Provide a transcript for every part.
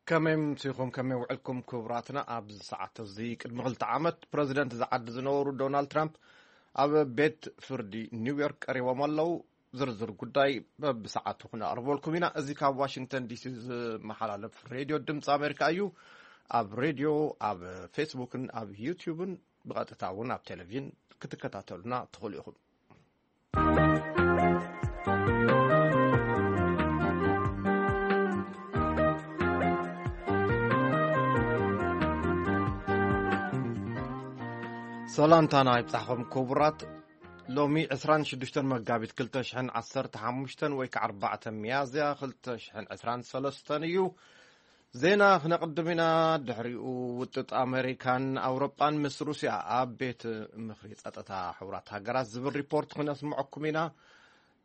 ከመይ ምሲኹም፣ ከመይ ውዕልኩም ክቡራትና? ኣብዚ ሰዓት እዚ ቅድሚ ክልተ ዓመት ፕረዚደንት ዝዓዲ ዝነበሩ ዶናልድ ትራምፕ ኣብ ቤት ፍርዲ ኒውዮርክ ቀሪቦም ኣለዉ። ዝርዝር ጉዳይ በብሰዓቱ ክነቕርበልኩም ኢና። እዚ ካብ ዋሽንግተን ዲሲ ዝመሓላለፍ ሬድዮ ድምፂ ኣሜሪካ እዩ። ኣብ ሬድዮ፣ ኣብ ፌስቡክን ኣብ ዩቲዩብን ብቐጥታ እውን ኣብ ቴሌቪዥን ክትከታተሉና ትኽእሉ ኢኹም። ሰላምታና ይብጻሕኹም ክቡራት። ሎሚ ዕስራን ሽዱሽተን መጋቢት ክልተ ሽሕን ዓሰርተ ሓሙሽተን ወይ ከዓ ኣርባዕተ ሚያዝያ ክልተ ሽሕን ዕስራን ሰለስተን እዩ። ዜና ክነቕድም ኢና። ድሕሪኡ ውጥጥ ኣመሪካን ኣውሮጳን ምስ ሩስያ ኣብ ቤት ምኽሪ ጸጥታ ሕቡራት ሃገራት ዝብል ሪፖርት ክነስምዐኩም ኢና።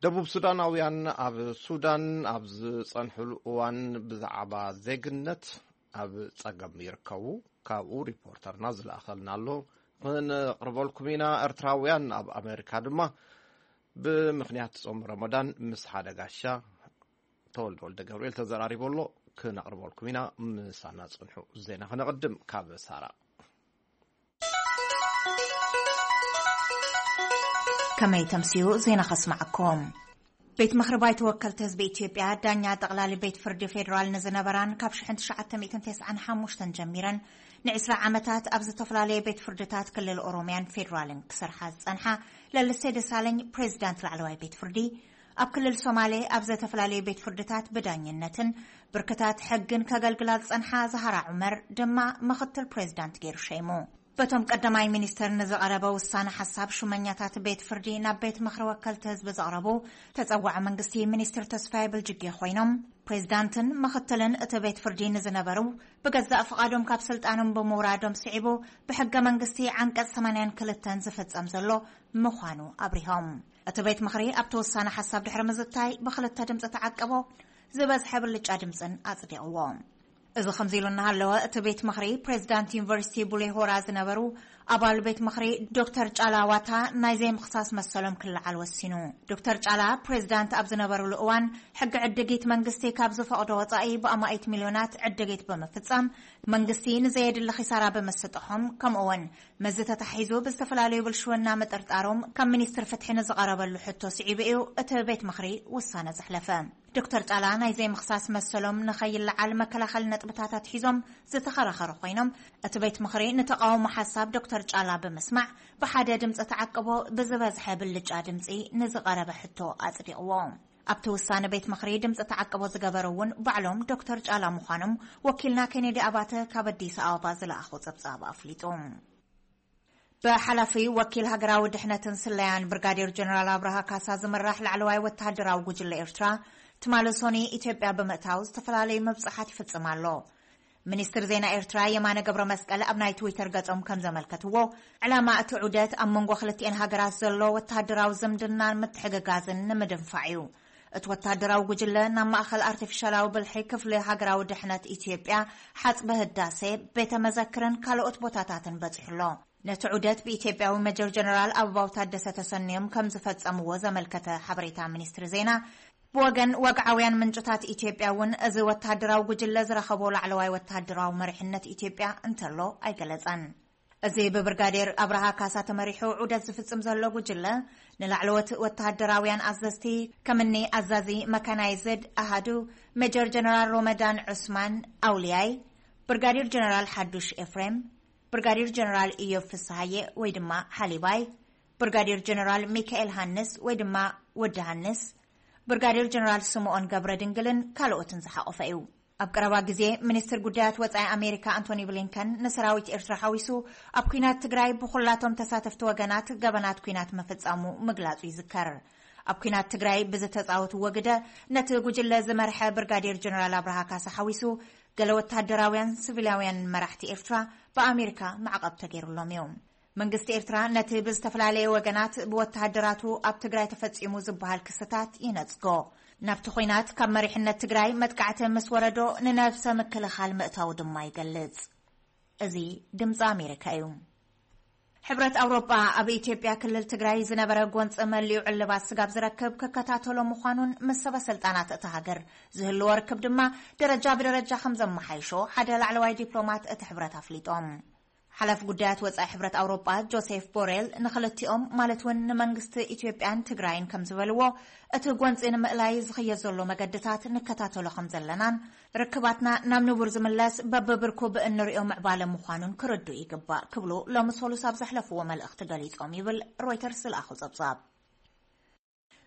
ደቡብ ሱዳናውያን ኣብ ሱዳን ኣብ ዝጸንሕሉ እዋን ብዛዕባ ዜግነት ኣብ ጸገም ይርከቡ። ካብኡ ሪፖርተርና ዝለኣኸልና ኣሎ፣ ክነቕርበልኩም ኢና። ኤርትራውያን ኣብ ኣመሪካ ድማ ብምኽንያት ጾም ረመዳን ምስ ሓደ ጋሻ ተወልደ ወልደ ገብርኤል ተዘራሪቡ ኣሎ፣ ክነቕርበልኩም ኢና። ምሳና ጽንሑ። ዜና ክነቕድም ካብ ሳራ። ከመይ ተምስዩ ዜና ከስማዓኩም። ቤት ምኽሪ ባይቶ ወከልቲ ህዝቢ ኢትዮጵያ ዳኛ ጠቕላሊ ቤት ፍርዲ ፌዴራል ንዝነበራን ካብ ሽሕን ትሽዓተ ሚእትን ተስዓን ሓሙሽተን ጀሚረን ንዕስራ ዓመታት ኣብ ዝተፈላለየ ቤት ፍርድታት ክልል ኦሮሚያን ፌዴራልን ክሰርሓ ዝጸንሓ ለልሴ ደሳለኝ ፕሬዚዳንት ላዕለዋይ ቤት ፍርዲ ኣብ ክልል ሶማሌ ኣብ ዝተፈላለየ ቤት ፍርድታት ብዳኝነትን ብርክታት ሕግን ከገልግላ ዝጸንሓ ዛሃራ ዑመር ድማ ምኽትል ፕሬዚዳንት ገይሩ ሸይሙ። በቶም ቀዳማይ ሚኒስተር ንዝቐረበ ውሳነ ሓሳብ ሹመኛታት ቤት ፍርዲ ናብ ቤት ምኽሪ ወከልቲ ህዝቢ ዘቕረቡ ተጸዋዒ መንግስቲ ሚኒስትር ተስፋዬ በልጅጌ ኮይኖም፣ ፕሬዚዳንትን ምኽትልን እቲ ቤት ፍርዲ ንዝነበሩ ብገዛእ ፍቓዶም ካብ ስልጣኖም ብምውራዶም ስዒቡ ብሕገ መንግስቲ ዓንቀጽ ሰማንያን ክልተን ዝፍጸም ዘሎ ምዃኑ ኣብሪሆም። እቲ ቤት ምኽሪ ኣብቲ ውሳነ ሓሳብ ድሕሪ ምዝታይ ብክልተ ድምፂ ተዓቀቦ፣ ዝበዝሐ ብልጫ ድምፅን ኣጽዲቕዎ። እዚ ከምዚ ኢሉ እናሃለወ፣ እቲ ቤት ምኽሪ ፕሬዚዳንት ዩኒቨርሲቲ ቡሌ ሆራ ዝነበሩ ኣባል ቤት ምኽሪ ዶክተር ጫላ ዋታ ናይ ዘይምኽሳስ መሰሎም ክለዓል ወሲኑ። ዶክተር ጫላ ፕሬዚዳንት ኣብ ዝነበሩሉ እዋን ሕጊ ዕድጊት መንግስቲ ካብ ዝፈቕዶ ወጻኢ ብኣማኢት ሚልዮናት ዕድጊት ብምፍጻም መንግስቲ ንዘየድሊ ኺሳራ ብምስጥሖም፣ ከምኡውን መዚ ተታሒዙ ብዝተፈላለዩ ብልሽውና ምጥርጣሮም ካብ ሚኒስትር ፍትሒ ንዝቐረበሉ ሕቶ ስዒቡ እዩ እቲ ቤት ምኽሪ ውሳነ ዘሕለፈ። ዶክተር ጫላ ናይ ዘይምኽሳስ መሰሎም ንኸይለዓል መከላኸሊ ነጥብታት ኣትሒዞም ዝተኸራኸሩ ኮይኖም፣ እቲ ቤት ምኽሪ ንተቓውሞ ሓሳብ ዶክተር ጫላ ብምስማዕ ብሓደ ድምፂ ተዓቅቦ ብዝበዝሐ ብልጫ ድምፂ ንዝቐረበ ሕቶ ኣጽዲቕዎ። ኣብቲ ውሳነ ቤት ምኽሪ ድምፂ ተዓቅቦ ዝገበሩ እውን ባዕሎም ዶክተር ጫላ ምዃኖም ወኪልና ኬኔዲ ኣባተ ካብ ኣዲስ ኣበባ ዝለኣኾ ጸብጻብ ኣፍሊጡ። ብሓላፊ ወኪል ሃገራዊ ድሕነትን ስለያን ብርጋዴር ጀነራል ኣብርሃ ካሳ ዝምራሕ ላዕለዋይ ወተሃደራዊ ጉጅለ ኤርትራ ትማሊ ሶኒ ኢትዮጵያ ብምእታው ዝተፈላለዩ መብጽሓት ይፍጽም ኣሎ። ሚኒስትር ዜና ኤርትራ የማነ ገብረ መስቀል ኣብ ናይ ትዊተር ገጾም ከም ዘመልከትዎ፣ ዕላማ እቲ ዑደት ኣብ መንጎ ክልቲኤን ሃገራት ዘሎ ወተሃደራዊ ዝምድናን ምትሕግጋዝን ንምድንፋዕ እዩ። እቲ ወተሃደራዊ ጉጅለ ናብ ማእኸል ኣርቲፊሻላዊ ብልሒ ክፍሊ ሃገራዊ ድሕነት ኢትዮጵያ፣ ሓጽቢ ህዳሴ፣ ቤተ መዘክርን ካልኦት ቦታታትን በጺሑ ኣሎ። ነቲ ዑደት ብኢትዮጵያዊ ሜጀር ጀነራል ኣበባው ታደሰ ተሰንዮም ከም ዝፈጸምዎ ዘመልከተ ሓበሬታ ሚኒስትሪ ዜና፣ ብወገን ወግዓውያን ምንጭታት ኢትዮጵያ እውን እዚ ወተሃደራዊ ጉጅለ ዝረኸቦ ላዕለዋይ ወተሃደራዊ መሪሕነት ኢትዮጵያ እንተሎ ኣይገለጸን። እዚ ብብርጋዴር ኣብርሃ ካሳ ተመሪሑ ዑደት ዝፍጽም ዘሎ ጉጅለ፣ ንላዕለዎት ወተሃደራውያን ኣዘዝቲ፣ ከምኒ ኣዛዚ መካናይዝድ ኣሃዱ ሜጀር ጀነራል ሮመዳን ዑስማን ኣውልያይ፣ ብርጋዴር ጀነራል ሓዱሽ ኤፍሬም፣ ብርጋዴር ጀነራል ኢዮብ ፍስሃየ ወይ ድማ ሓሊባይ፣ ብርጋዴር ጀነራል ሚካኤል ሃንስ ወይ ድማ ወዲ ሃንስ፣ ብርጋዴር ጀነራል ስምኦን ገብረ ድንግልን ካልኦትን ዝሓቖፈ እዩ። ኣብ ቀረባ ግዜ ሚኒስትር ጉዳያት ወጻኢ ኣሜሪካ ኣንቶኒ ብሊንከን ንሰራዊት ኤርትራ ሓዊሱ ኣብ ኲናት ትግራይ ብኹላቶም ተሳተፍቲ ወገናት ገበናት ኲናት ምፍጻሙ ምግላጹ ይዝከር። ኣብ ኲናት ትግራይ ብዝተጻወትዎ ግደ ነቲ ጉጅለ ዝመርሐ ብርጋዴር ጀነራል ኣብርሃ ካሳ ሓዊሱ ገለ ወተሃደራውያን ሲቪላውያን መራሕቲ ኤርትራ ብኣሜሪካ ማዕቐብ ተገይሩሎም እዩ። መንግስቲ ኤርትራ ነቲ ብዝተፈላለየ ወገናት ብወተሃደራቱ ኣብ ትግራይ ተፈጺሙ ዝበሃል ክስታት ይነጽጎ። ናብቲ ኹናት ካብ መሪሕነት ትግራይ መጥቃዕቲ ምስ ወረዶ ንነብሰ ምክልኻል ምእታው ድማ ይገልጽ። እዚ ድምፂ ኣሜሪካ እዩ። ሕብረት ኣውሮጳ ኣብ ኢትዮጵያ ክልል ትግራይ ዝነበረ ጎንፂ መሊኡ ዕልባት ስጋብ ዝረክብ ክከታተሎ ምዃኑን ምስ ሰበ ስልጣናት እታ ሃገር ዝህልዎ ርክብ ድማ ደረጃ ብደረጃ ከም ዘመሓይሾ ሓደ ላዕለዋይ ዲፕሎማት እቲ ሕብረት ኣፍሊጦም። ሓላፊ ጉዳያት ወጻኢ ሕብረት ኣውሮጳ ጆሴፍ ቦሬል ንክልቲኦም ማለት እውን ንመንግስቲ ኢትዮጵያን ትግራይን ከም ዝበልዎ፣ እቲ ጎንፂ ንምእላይ ዝኽየድ ዘሎ መገድታት ንከታተሎ ከም ዘለናን ርክባትና ናብ ንቡር ዝምለስ በብብርኩ ብእንሪኦ ምዕባለ ምዃኑን ክርዱ ይግባእ ክብሉ ሎሚ ሰሉስ ኣብ ዘሕለፍዎ መልእኽቲ ገሊጾም ይብል ሮይተርስ ዝለኣኹ ጸብጻብ።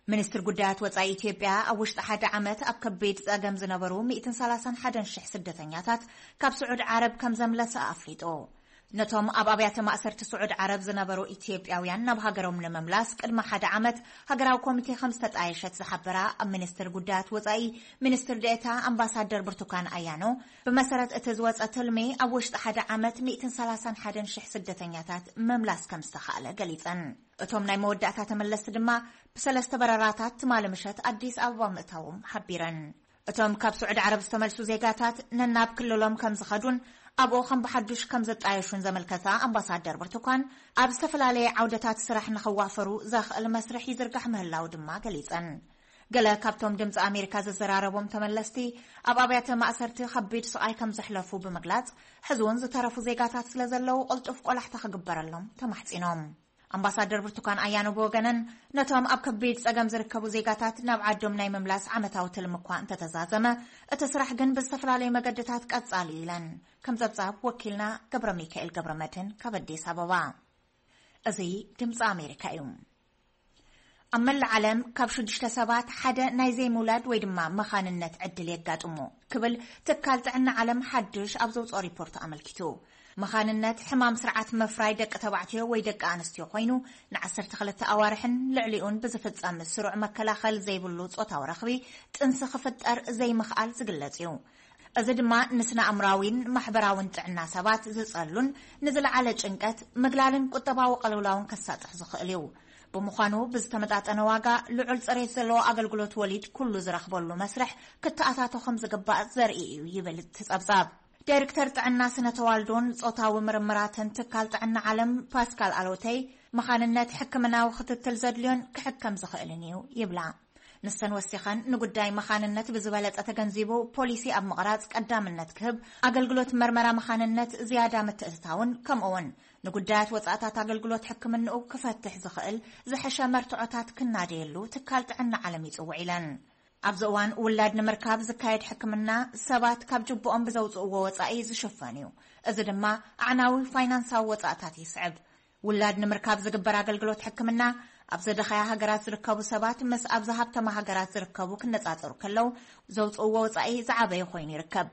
ሚኒስትር ጉዳያት ወጻኢ ኢትዮጵያ ኣብ ውሽጢ ሓደ ዓመት ኣብ ከቢድ ጸገም ዝነበሩ ሚእትን ሰላሳን ሓደን ሽሕ ስደተኛታት ካብ ስዑድ ዓረብ ከም ዘምለሰ ኣፍሊጡ። ነቶም ኣብ ኣብያተ ማእሰርቲ ስዑድ ዓረብ ዝነበሩ ኢትዮጵያውያን ናብ ሃገሮም ንምምላስ ቅድሚ ሓደ ዓመት ሃገራዊ ኮሚቴ ከም ዝተጣየሸት ዝሓበራ ኣብ ሚኒስትር ጉዳያት ወጻኢ ሚኒስትር ዴኤታ ኣምባሳደር ብርቱካን ኣያኖ፣ ብመሰረት እቲ ዝወጸ ትልሚ ኣብ ውሽጢ ሓደ ዓመት ሚእትን ሰላሳን ሓደን ሽሕ ስደተኛታት ምምላስ ከም ዝተኻእለ ገሊጸን። እቶም ናይ መወዳእታ ተመለስቲ ድማ ብሰለስተ በረራታት ትማሊ ምሸት ኣዲስ ኣበባ ምእታዎም ሓቢረን። እቶም ካብ ስዑዲ ዓረብ ዝተመልሱ ዜጋታት ነናብ ክልሎም ከም ዝኸዱን ኣብኡ ከም ብሓዱሽ ከም ዝጣየሹን ዘመልከታ ኣምባሳደር ብርቱካን፣ ኣብ ዝተፈላለየ ዓውደታት ስራሕ ንኽዋፈሩ ዘኽእል መስርሕ ይዝርጋሕ ምህላው ድማ ገሊጸን። ገለ ካብቶም ድምፂ ኣሜሪካ ዘዘራረቦም ተመለስቲ ኣብ ኣብያተ ማእሰርቲ ከቢድ ስቓይ ከም ዘሕለፉ ብምግላጽ፣ ሕዚ እውን ዝተረፉ ዜጋታት ስለ ዘለዉ ቅልጡፍ ቆላሕታ ክግበረሎም ተማሕጺኖም። ኣምባሳደር ብርቱካን ኣያኖ ብወገነን፣ ነቶም ኣብ ከቢድ ጸገም ዝርከቡ ዜጋታት ናብ ዓዶም ናይ ምምላስ ዓመታዊ ትልሚ እኳ እንተተዛዘመ፣ እቲ ስራሕ ግን ብዝተፈላለዩ መገድታት ቀጻሊ እዩ ኢለን። ከም ጸብጻብ ወኪልና ገብረ ሚካኤል ገብረ መድህን ካብ ኣዲስ ኣበባ። እዚ ድምፂ ኣሜሪካ እዩ። ኣብ መላእ ዓለም ካብ ሽዱሽተ ሰባት ሓደ ናይ ዘይምውላድ ወይ ድማ መኻንነት ዕድል የጋጥሞ ክብል ትካል ጥዕና ዓለም ሓድሽ ኣብ ዘውፅኦ ሪፖርት ኣመልኪቱ። መኻንነት ሕማም ስርዓት ምፍራይ ደቂ ተባዕትዮ ወይ ደቂ ኣንስትዮ ኮይኑ፣ ንዓሰርተ ክልተ ኣዋርሕን ልዕሊኡን ብዝፍጸም ስሩዕ መከላኸል ዘይብሉ ጾታዊ ረኽቢ ጥንሲ ክፍጠር ዘይምኽኣል ዝግለጽ እዩ። እዚ ድማ ንስነ ኣእምራዊን ማሕበራውን ጥዕና ሰባት ዝጸሉን ንዝለዓለ ጭንቀት፣ ምግላልን ቁጠባዊ ቅልውላውን ከሳጥሕ ዝኽእል እዩ። ብምዃኑ ብዝተመጣጠነ ዋጋ ልዑል ጽሬት ዘለዎ ኣገልግሎት ወሊድ ኩሉ ዝረኽበሉ መስርሕ ክተኣታቶ ከም ዝግባእ ዘርኢ እዩ ይብል እቲ ጸብጻብ። ዳይሬክተር ጥዕና ስነ ተዋልዶን ጾታዊ ምርምራትን ትካል ጥዕና ዓለም ፓስካል ኣሎተይ፣ መኻንነት ሕክምናዊ ክትትል ዘድልዮን ክሕከም ዝኽእልን እዩ ይብላ። ንሰን ወሲኸን ንጉዳይ መኻንነት ብዝበለጸ ተገንዚቡ ፖሊሲ ኣብ ምቕራጽ ቀዳምነት ክህብ፣ ኣገልግሎት መርመራ መኻንነት ዝያዳ ምትእትታውን ከምኡውን ንጉዳያት ወጻእታት ኣገልግሎት ሕክምንኡ ክፈትሕ ዝኽእል ዝሐሸ መርትዖታት ክናደየሉ ትካል ጥዕና ዓለም ይጽውዕ ኢለን። ኣብዚ እዋን ውላድ ንምርካብ ዝካየድ ሕክምና ሰባት ካብ ጅብኦም ብዘውጽእዎ ወጻኢ ዝሽፈን እዩ። እዚ ድማ ኣዕናዊ ፋይናንሳዊ ወጻእታት ይስዕብ። ውላድ ንምርካብ ዝግበር ኣገልግሎት ሕክምና ኣብ ዝደኸያ ሃገራት ዝርከቡ ሰባት ምስ ኣብ ዝሃብተማ ሃገራት ዝርከቡ ክነጻጸሩ ከለዉ ዘውጽእዎ ወጻኢ ዝዓበየ ኮይኑ ይርከብ።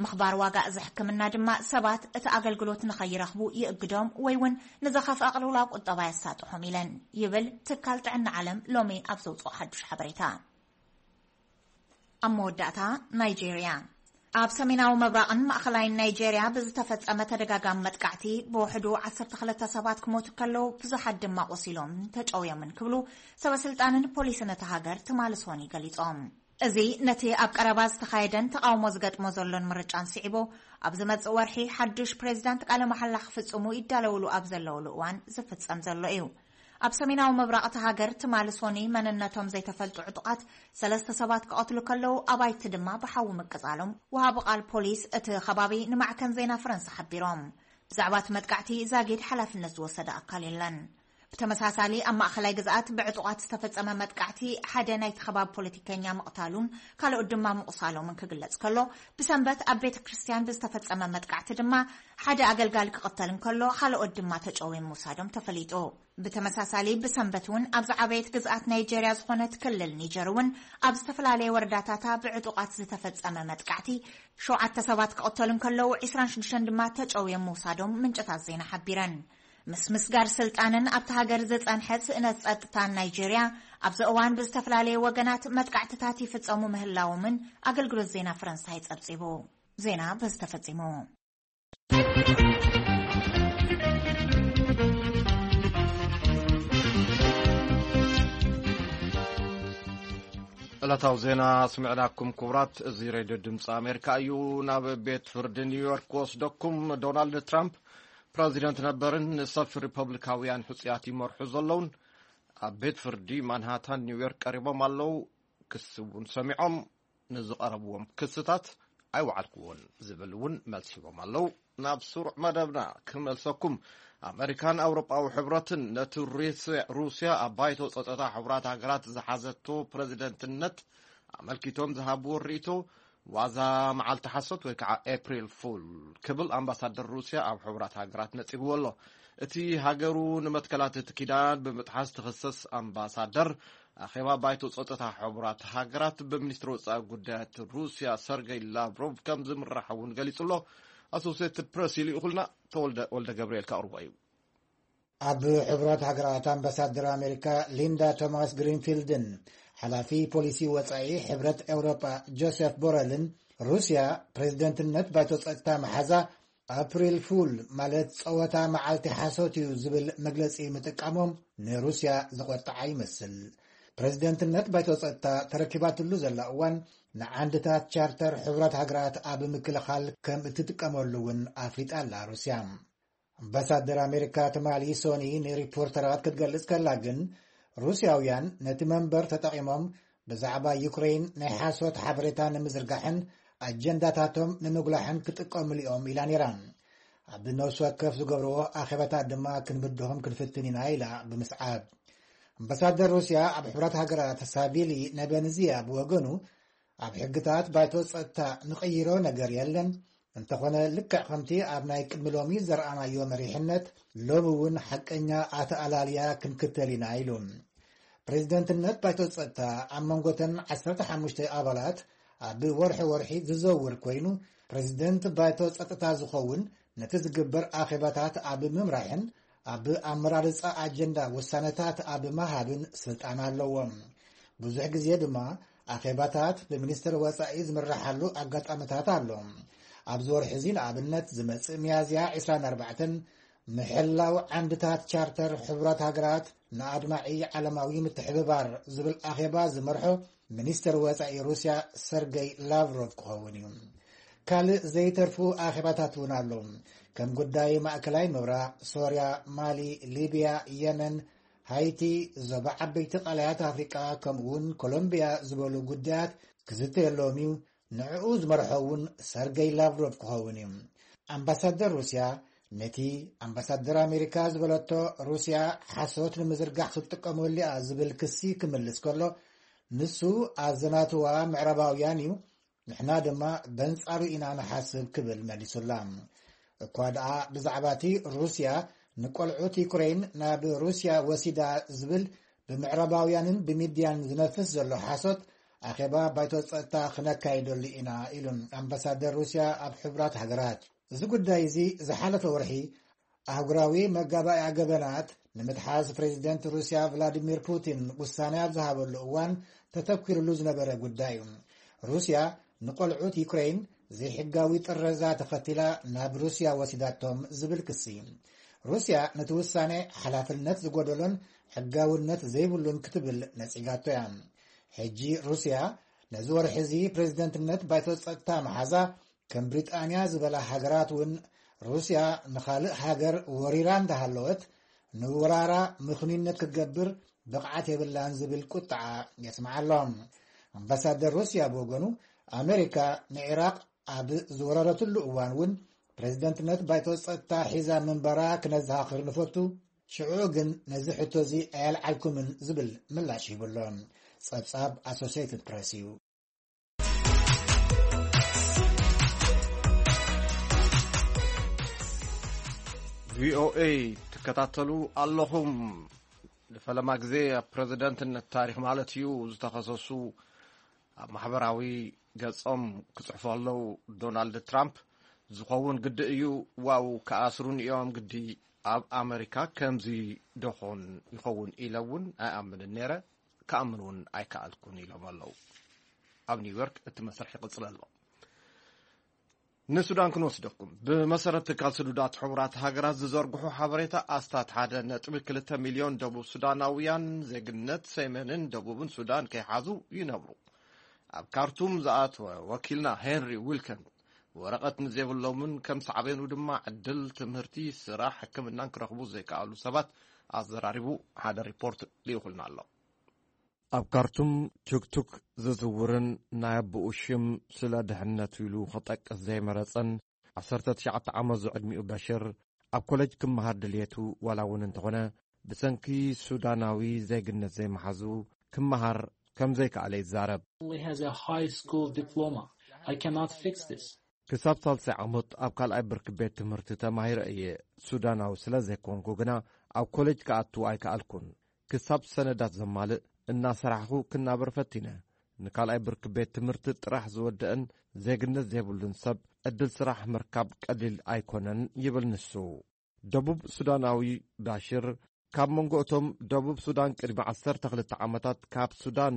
ምኽባር ዋጋ እዚ ሕክምና ድማ ሰባት እቲ ኣገልግሎት ንኸይረኽቡ ይእግዶም ወይ እውን ንዝኸፍአ ቅልውላው ቁጠባ የሳጥሖም ኢለን ይብል ትካል ጥዕና ዓለም ሎሚ ኣብ ዘውጽኦ ሓዱሽ ሓበሬታ። ኣብ መወዳእታ፣ ናይጄርያ። ኣብ ሰሜናዊ ምብራቕን ማእኸላይን ናይጄርያ ብዝተፈጸመ ተደጋጋሚ መጥቃዕቲ ብውሕዱ ዓሰርተ ክልተ ሰባት ክሞቱ ከለዉ ብዙሓት ድማ ቆሲሎም ተጨውዮምን ክብሉ ሰበስልጣንን ፖሊስን እታ ሃገር ትማሊ ሶኒ ገሊጾም። እዚ ነቲ ኣብ ቀረባ ዝተኻየደን ተቓውሞ ዝገጥሞ ዘሎን ምርጫን ስዒቡ፣ ኣብ ዝመጽእ ወርሒ ሓዱሽ ፕሬዚዳንት ቃለ መሓላ ክፍጽሙ ይዳለውሉ ኣብ ዘለውሉ እዋን ዝፍጸም ዘሎ እዩ። ኣብ ሰሜናዊ ምብራቕ እታ ሃገር ትማሊ ሶኒ መንነቶም ዘይተፈልጡ ዕጡቓት ሰለስተ ሰባት ክቐትሉ ከለዉ ኣባይቲ ድማ ብሓዊ ምቅጻሎም ወሃቢ ቃል ፖሊስ እቲ ከባቢ ንማዕከን ዜና ፈረንሳ ሓቢሮም። ብዛዕባ እቲ መጥቃዕቲ ዛጊድ ሓላፍነት ዝወሰደ ኣካል የለን። ብተመሳሳሊ ኣብ ማእኸላይ ግዝኣት ብዕጡቓት ዝተፈጸመ መጥቃዕቲ ሓደ ናይቲ ከባቢ ፖለቲከኛ ምቕታሉን ካልኦት ድማ ምቑሳሎምን ክግለጽ ከሎ፣ ብሰንበት ኣብ ቤተ ክርስቲያን ብዝተፈጸመ መጥቃዕቲ ድማ ሓደ ኣገልጋሊ ክቕተል እንከሎ፣ ካልኦት ድማ ተጨውዮም ምውሳዶም ተፈሊጡ። ብተመሳሳሊ ብሰንበት እውን ኣብ ዝዓበየት ግዝኣት ናይጄርያ ዝኾነት ክልል ኒጀር እውን ኣብ ዝተፈላለየ ወረዳታታ ብዕጡቓት ዝተፈጸመ መጥቃዕቲ ሸውዓተ ሰባት ክቕተሉ እንከለዉ፣ ዕስራን ሽዱሽተን ድማ ተጨውዮም ምውሳዶም ምንጭታት ዜና ሓቢረን። ምስ ምስጋር ስልጣንን ኣብቲ ሃገር ዝጸንሐ ስእነት ጸጥታን ናይጄርያ፣ ኣብዚ እዋን ብዝተፈላለየ ወገናት መጥቃዕትታት ይፍጸሙ ምህላዎምን ኣገልግሎት ዜና ፈረንሳይ ጸብጺቡ። ዜና በዚ ተፈጺሙ። ዕለታዊ ዜና ስምዕናኩም ክቡራት፣ እዚ ሬድዮ ድምፂ ኣሜሪካ እዩ። ናብ ቤት ፍርዲ ኒውዮርክ ክወስደኩም። ዶናልድ ትራምፕ ፕረዚደንት ነበርን ንሰልፊ ሪፐብሊካውያን ሕጹያት ይመርሑ ዘለውን ኣብ ቤት ፍርዲ ማንሃታን ኒውዮርክ ቀሪቦም ኣለዉ። ክሲ እውን ሰሚዖም፣ ንዝቐረብዎም ክስታት ኣይወዓልክዎን ዝብል እውን መልሲ ሂቦም ኣለዉ። ናብ ስሩዕ መደብና ክመልሰኩም፣ ኣመሪካን ኣውሮጳዊ ሕብረትን ነቲ ሩስያ፣ ሩስያ ኣብ ባይቶ ጸጥታ ሕቡራት ሃገራት ዝሓዘቶ ፕረዚደንትነት ኣመልኪቶም ዝሃብዎ ርእይቶ ዋዛ መዓልቲ ሓሶት ወይ ከዓ ኤፕሪል ፉል ክብል ኣምባሳደር ሩስያ ኣብ ሕቡራት ሃገራት ነጺግዎ ኣሎ። እቲ ሃገሩ ንመትከላት እቲ ኪዳን ብምጥሓስ ትኽሰስ ኣምባሳደር ኣኼባ ባይቶ ጸጥታ ሕቡራት ሃገራት ብሚኒስትሪ ወጻኢ ጉዳያት ሩስያ ሰርገይ ላቭሮቭ ከም ዝምራሕ እውን ገሊጹ ኣሎ። ኣሶሴትድ ፕረስ ይልእኹልና፣ ተወልደ ወልደ ገብርኤል ከቕርቦ እዩ። ኣብ ሕቡራት ሃገራት ኣምባሳደር ኣሜሪካ ሊንዳ ቶማስ ግሪንፊልድን ሓላፊ ፖሊሲ ወጻኢ ሕብረት ኤውሮጳ ጆሴፍ ቦረልን ሩስያ ፕሬዝደንትነት ባይቶ ጸጥታ መሓዛ ኣፕሪል ፉል ማለት ጸወታ መዓልቲ ሓሶት እዩ ዝብል መግለጺ ምጥቃሞም ንሩስያ ዘቖጥዓ ይመስል። ፕሬዝደንትነት ባይቶ ጸጥታ ተረኪባትሉ ዘላ እዋን ንዓንድታት ቻርተር ሕቡራት ሃገራት ኣብ ምክልኻል ከም እትጥቀመሉ እውን ኣፍሊጣ ኣላ ሩስያ። ኣምባሳደር ኣሜሪካ ትማሊ ሶኒ ንሪፖርተራት ክትገልጽ ከላ ግን፣ ሩስያውያን ነቲ መንበር ተጠቒሞም ብዛዕባ ዩክሬን ናይ ሓሶት ሓበሬታ ንምዝርጋሕን ኣጀንዳታቶም ንምጉላሕን ክጥቀምሉ እዮም ኢላ ነይራ። ኣብ ነፍሲ ወከፍ ዝገብርዎ ኣኼባታት ድማ ክንብድሆም ክንፍትን ኢና ኢላ ብምስዓብ። ኣምባሳደር ሩስያ ኣብ ሕቡራት ሃገራት ሳቪሊ ነበንዝያ ብወገኑ፣ ኣብ ሕግታት ባይቶ ጸጥታ ንቕይሮ ነገር የለን። እንተኾነ፣ ልክዕ ከምቲ ኣብ ናይ ቅድሚ ሎሚ ዘርኣናዮ መሪሕነት፣ ሎሚ እውን ሓቀኛ ኣተኣላልያ ክንክተል ኢና ኢሉ። ፕሬዝደንትነት ባይቶ ጸጥታ ኣብ መንጎተን ዓሰርተ ሓሙሽተ ኣባላት ኣብ ወርሒ ወርሒ ዝዘውር ኮይኑ፣ ፕሬዝደንት ባይቶ ጸጥታ ዝኸውን ነቲ ዝግበር ኣኼባታት ኣብ ምምራሕን ኣብ ኣመራርጻ ኣጀንዳ ውሳነታት ኣብ ምሃብን ስልጣን ኣለዎም። ብዙሕ ግዜ ድማ ኣኼባታት ብሚኒስትር ወጻኢ ዝምረሓሉ ኣጋጣሚታት ኣሎ። ኣብዚ ወርሒ እዚ ንኣብነት ዝመጽእ ሚያዝያ ዕስራን ኣርባዕተን ምሕላው ዓንድታት ቻርተር ሕቡራት ሃገራት ንኣድማዒ ዓለማዊ ምትሕብባር ዝብል ኣኼባ ዝመርሖ ሚኒስትር ወጻኢ ሩስያ ሰርገይ ላቭሮቭ ክኸውን እዩ። ካልእ ዘይተርፉ ኣኼባታት እውን ኣሎ። ከም ጉዳይ ማእከላይ ምብራቕ፣ ሶርያ፣ ማሊ፣ ሊብያ፣ የመን፣ ሃይቲ፣ ዞባ ዓበይቲ ቃላያት ኣፍሪቃ፣ ከምኡ እውን ኮሎምቢያ ዝበሉ ጉዳያት ክዝተየሎም እዩ። ንዕኡ ዝመርሖ እውን ሰርገይ ላቭሮቭ ክኸውን እዩ። ኣምባሳደር ሩስያ ነቲ ኣምባሳደር ኣሜሪካ ዝበለቶ ሩስያ ሓሶት ንምዝርጋሕ ክትጥቀመሉ እያ ዝብል ክሲ ክምልስ ከሎ፣ ንሱ ኣዘናትዋ ምዕራባውያን እዩ፣ ንሕና ድማ በንጻሩ ኢና ንሓስብ ክብል መሊሱላ። እኳ ደኣ ብዛዕባ እቲ ሩስያ ንቆልዑት ዩክሬን ናብ ሩስያ ወሲዳ ዝብል ብምዕራባውያንን ብሚድያን ዝነፍስ ዘሎ ሓሶት ኣኼባ ባይቶ ጸጥታ ክነካይደሉ ኢና ኢሉን ኣምባሳደር ሩስያ ኣብ ሕቡራት ሃገራት። እዚ ጉዳይ እዚ ዝሓለፈ ወርሒ ኣህጉራዊ መጋባእያ ገበናት ንምትሓዝ ፕሬዚደንት ሩስያ ቭላዲሚር ፑቲን ውሳነ ኣብ ዝሃበሉ እዋን ተተኪሩሉ ዝነበረ ጉዳይ እዩ። ሩስያ ንቆልዑት ዩክሬን ዘይሕጋዊ ጥረዛ ተኸቲላ ናብ ሩስያ ወሲዳቶም ዝብል ክሲ። ሩስያ ነቲ ውሳነ ሓላፍነት ዝጎደሎን ሕጋውነት ዘይብሉን ክትብል ነጺጋቶ እያ። ሕጂ ሩስያ ነዚ ወርሒ እዚ ፕሬዚደንትነት ባይቶ ጸጥታ መሓዛ ከም ብሪጣንያ ዝበላ ሃገራት እውን ሩስያ ንኻልእ ሃገር ወሪራ እንዳሃለወት ንወራራ ምኽኑይነት ክትገብር ብቕዓት የብላን ዝብል ቁጥዓ የስምዓ ኣሎ። ኣምባሳደር ሩስያ ብወገኑ፣ ኣሜሪካ ንዒራቕ ኣብ ዝወረረትሉ እዋን እውን ፕሬዚደንትነት ባይቶ ጸጥታ ሒዛ ምንባራ ክነዘኻኽር ንፈቱ። ሽዑ ግን ነዚ ሕቶ እዚ ኣየልዓልኩምን ዝብል ምላሽ ሂቡ ኣሎ። ጸብጻብ ኣሶሲየትድ ፕረስ እዩ። ቪኦኤ ትከታተሉ ኣለኹም። ንፈለማ ግዜ ኣብ ፕረዚደንትነት ታሪኽ ማለት እዩ ዝተኸሰሱ ኣብ ማሕበራዊ ገጾም ክጽሕፉ ኣለዉ። ዶናልድ ትራምፕ ዝኸውን ግዲ እዩ፣ ዋው ክኣስሩን እዮም ግዲ። ኣብ ኣመሪካ ከምዚ ደኾን ይኸውን ኢለ እውን ኣይኣምንን ነይረ፣ ክኣምን እውን ኣይከኣልኩን ኢሎም ኣለዉ። ኣብ ኒውዮርክ እቲ መስርሕ ይቕጽል ኣሎ። ንሱዳን ክንወስደኩም። ብመሰረት ትካል ስዱዳት ሕቡራት ሃገራት ዝዘርግሑ ሓበሬታ፣ ኣስታት ሓደ ነጥቢ ክልተ ሚልዮን ደቡብ ሱዳናውያን ዜግነት ሰሜንን ደቡብን ሱዳን ከይሓዙ ይነብሩ። ኣብ ካርቱም ዝኣተወ ወኪልና ሄንሪ ዊልከን ወረቐት ንዘይብሎምን ከም ሳዕቤኑ ድማ ዕድል ትምህርቲ፣ ስራሕ፣ ሕክምናን ክረኽቡ ዘይከኣሉ ሰባት ኣዘራሪቡ ሓደ ሪፖርት ልኢኹልና ኣሎ። ኣብ ካርቱም ቱክቱክ ዝዝውርን ናይ ኣቦኡ ሽም ስለ ድሕነቱ ኢሉ ክጠቅስ ዘይመረጸን ዓሰርተ ትሽዓተ ዓመት ዝዕድሚኡ በሽር፣ ኣብ ኮለጅ ክመሃር ድልየቱ ዋላ እውን እንተኾነ፣ ብሰንኪ ሱዳናዊ ዜግነት ዘይመሓዙ ክመሃር ከም ዘይከኣለ ይዛረብ። Only has a high school diploma. I cannot fix this. ክሳብ ሳልሳይ ዓመት ኣብ ካልኣይ ብርኪ ቤት ትምህርቲ ተማሂረ እየ። ሱዳናዊ ስለ ዘይኮንኩ ግና ኣብ ኮለጅ ክኣቱ ኣይከኣልኩን። ክሳብ ሰነዳት ዘማልእ እናሰራሕኹ ክናበር ፈቲነ። ንካልኣይ ብርኪ ቤት ትምህርቲ ጥራሕ ዝወደአን ዜግነት ዘይብሉን ሰብ ዕድል ስራሕ ምርካብ ቀሊል ኣይኮነን ይብል ንሱ። ደቡብ ሱዳናዊ ባሽር ካብ መንጎ እቶም ደቡብ ሱዳን ቅድሚ ዓሰርተ ክልተ ዓመታት ካብ ሱዳን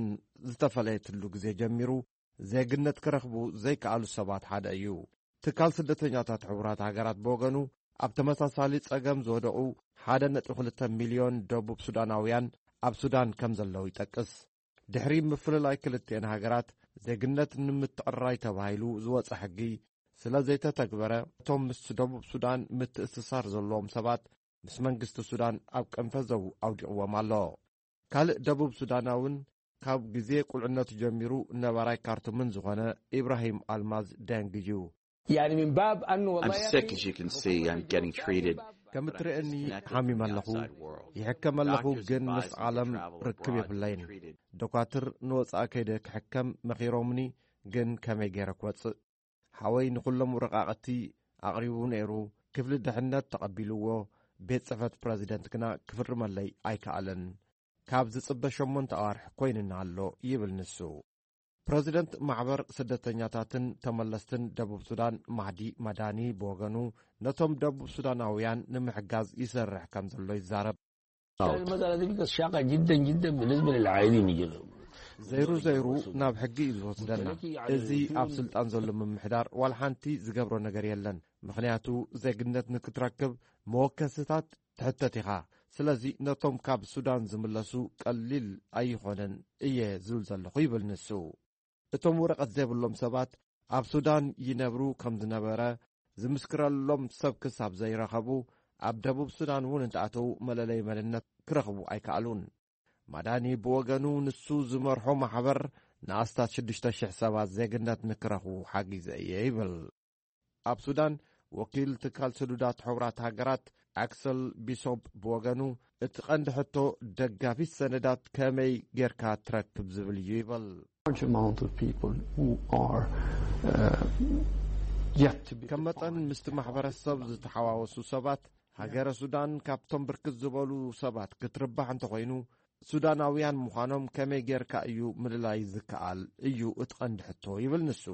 ዝተፈለየትሉ ግዜ ጀሚሩ ዜግነት ክረኽቡ ዘይከኣሉ ሰባት ሓደ እዩ። ትካል ስደተኛታት ሕቡራት ሃገራት ብወገኑ ኣብ ተመሳሳሊ ጸገም ዝወደቑ ሓደ ነጥቢ ክልተ ሚልዮን ደቡብ ሱዳናውያን ኣብ ሱዳን ከም ዘለዉ ይጠቅስ። ድሕሪ ምፍልላይ ክልቲኤን ሃገራት ዜግነት ንምትዕርራይ ተባሂሉ ዝወጸ ሕጊ ስለ ዘይተተግበረ፣ እቶም ምስ ደቡብ ሱዳን ምትእስሳር ዘለዎም ሰባት ምስ መንግስቲ ሱዳን ኣብ ቀንፈዘው ኣውዲቕዎም ኣሎ። ካልእ ደቡብ ሱዳናውን ካብ ግዜ ቁልዕነቱ ጀሚሩ ነባራይ ካርቱምን ዝኾነ ኢብራሂም ኣልማዝ ደንግ እዩ። يعني من باب انه والله I'm يا sick, اخي as you can see. I'm getting treated. ከም እትርእየኒ ሓሚመ ኣለኹ፣ ይሕከም ኣለኹ፣ ግን ምስ ዓለም ርክብ የብለይን። ዶኳትር ንወጻኢ ከይደ ክሕከም መኺሮምኒ፣ ግን ከመይ ገይረ ክወጽእ? ሓወይ ንኹሎም ወረቓቕቲ ኣቕሪቡ ነይሩ፣ ክፍሊ ድሕነት ተቐቢልዎ፣ ቤት ጽሕፈት ፕረዚደንት ግና ክፍርመለይ ኣይከኣለን። ካብ ዝጽበ ሸሞንተ ኣዋርሕ ኮይንና ኣሎ ይብል ንሱ። ፕረዚደንት ማሕበር ስደተኛታትን ተመለስትን ደቡብ ሱዳን ማህዲ ማዳኒ ብወገኑ ነቶም ደቡብ ሱዳናውያን ንምሕጋዝ ይሰርሕ ከም ዘሎ ይዛረብ። المسألة دي بقت شاقة جدا جدا بالنسبة للعائلين يجي ዘይሩ ዘይሩ ናብ ሕጊ እዩ ዝወስደና። እዚ ኣብ ስልጣን ዘሎ ምምሕዳር ዋላ ሓንቲ ዝገብሮ ነገር የለን። ምኽንያቱ ዜግነት ንክትረክብ መወከስታት ትሕተት ኢኻ። ስለዚ ነቶም ካብ ሱዳን ዝምለሱ ቀሊል ኣይኾነን እየ ዝብል ዘለኹ ይብል ንሱ። እቶም ወረቐት ዘይብሎም ሰባት ኣብ ሱዳን ይነብሩ ከም ዝነበረ ዝምስክረሎም ሰብ ክሳብ ዘይረኸቡ ኣብ ደቡብ ሱዳን እውን እንተኣተዉ መለለይ መንነት ክረኽቡ ኣይከኣሉን። ማዳኒ ብወገኑ ንሱ ዝመርሖ ማሕበር ንኣስታት ሽዱሽተ ሽሕ ሰባት ዜግነት ንክረኽቡ ሓጊዘ እየ ይብል። ኣብ ሱዳን ወኪል ትካል ስዱዳት ሕቡራት ሃገራት ኣክሰል ቢሶፕ ብወገኑ እቲ ቀንዲ ሕቶ ደጋፊት ሰነዳት ከመይ ጌርካ ትረክብ ዝብል እዩ ይብል። Large amount of people who are uh, yet to be ከም መጠን ምስቲ ማሕበረሰብ ዝተሓዋወሱ ሰባት ሃገረ ሱዳን ካብቶም ብርክት ዝበሉ ሰባት ክትርባሕ እንተኾይኑ ሱዳናውያን ምዃኖም ከመይ ጌርካ እዩ ምልላይ ዝከኣል እዩ እቲ ቀንዲ ሕቶ ይብል ንሱ።